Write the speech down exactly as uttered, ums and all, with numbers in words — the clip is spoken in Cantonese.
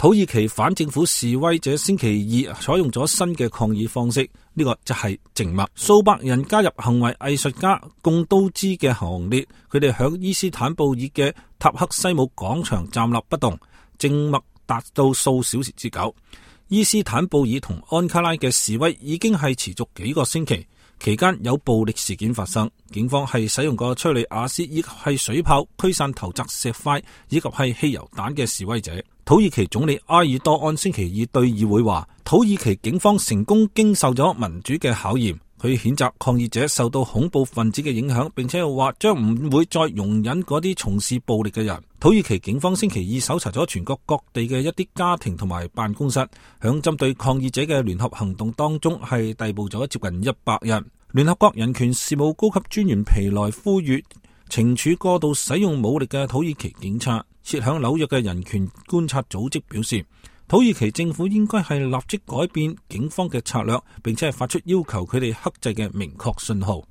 土耳其反政府示威者星期二採用咗新嘅抗議方式，呢、這個就係靜默。數百人加入行為藝術家貢都茲嘅行列，佢哋響伊斯坦布爾嘅塔克西姆廣場站立不動，靜默達到數小時之久。伊斯坦布爾同安卡拉嘅示威已經係持續幾個星期，期間有暴力事件發生，警方係使用過催淚瓦斯以及係水炮驅散投擲石塊以及係汽油彈嘅示威者。土耳其總理埃爾多安星期二對議會話，土耳其警方成功經受咗民主嘅考驗。佢譴責抗議者受到恐怖分子嘅影響，並且又話將唔會再容忍嗰啲從事暴力嘅人。土耳其警方星期二搜查咗全國各地嘅一啲家庭同埋辦公室，響針對抗議者嘅聯合行動當中係逮捕咗接近一百人。聯合國人權事務高級專員皮萊呼籲懲處過度使用武力嘅土耳其警察。設響紐約嘅人權觀察組織表示，土耳其政府應該係立即改變警方嘅策略，並且係發出要求佢哋克制嘅明確信號。